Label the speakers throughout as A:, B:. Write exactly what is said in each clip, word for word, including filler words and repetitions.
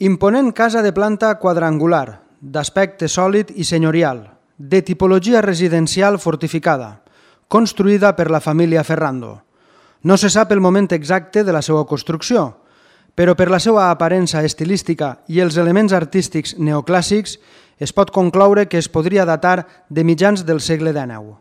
A: Imponent casa de planta quadrangular, d'aspecte sòlid i senyorial, de tipologia residencial fortificada, construïda per la família Ferrando. No se sap el moment exacte de la seva construcció, però per la seva aparença estilística i els elements artístics neoclàssics es pot concloure que es podria datar de mitjans del segle dinou.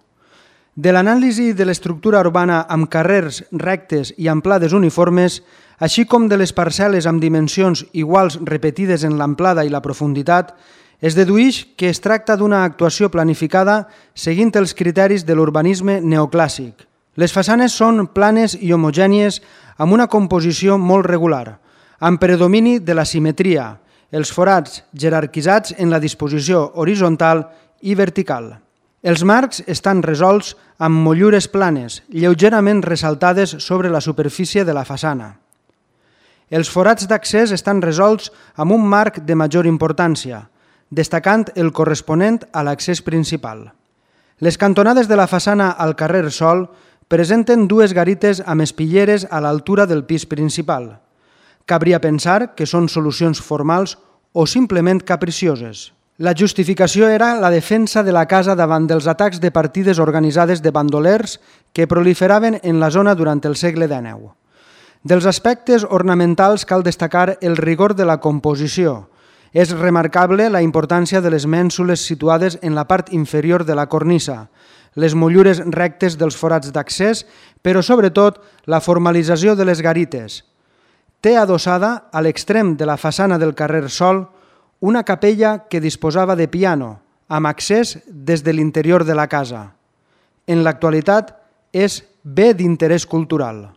A: De l'anàlisi de l'estructura urbana amb carrers rectes i amplades uniformes, així com de les parcel·les amb dimensions iguals repetides en l'amplada i la profunditat, es deduïx que es tracta d'una actuació planificada seguint els criteris de l'urbanisme neoclàssic. Les façanes són planes i homogènies amb una composició molt regular, amb predomini de la simetria, els forats jerarquitzats en la disposició horitzontal i vertical. Els marcs estan resolts amb motllures planes, lleugerament ressaltades sobre la superfície de la façana. Els forats d'accés estan resolts amb un marc de major importància, destacant el corresponent a l'accés principal. Les cantonades de la façana al carrer Sol presenten dues garites amb espitlleres a l'altura del pis principal. Cabria pensar que són solucions formals o simplement capricioses. La justificació era la defensa de la casa davant dels atacs de partides organitzades de bandolers que proliferaven en la zona durant el segle dinou. Dels aspectes ornamentals cal destacar el rigor de la composició. És remarcable la importància de les mènsules situades en la part inferior de la cornisa, les motllures rectes dels forats d'accés, però sobretot la formalització de les garites. Té adossada a l'extrem de la façana del carrer Sol una capella que disposava de piano, amb accés des de l'interior de la casa. En l'actualitat és bé d'interès cultural.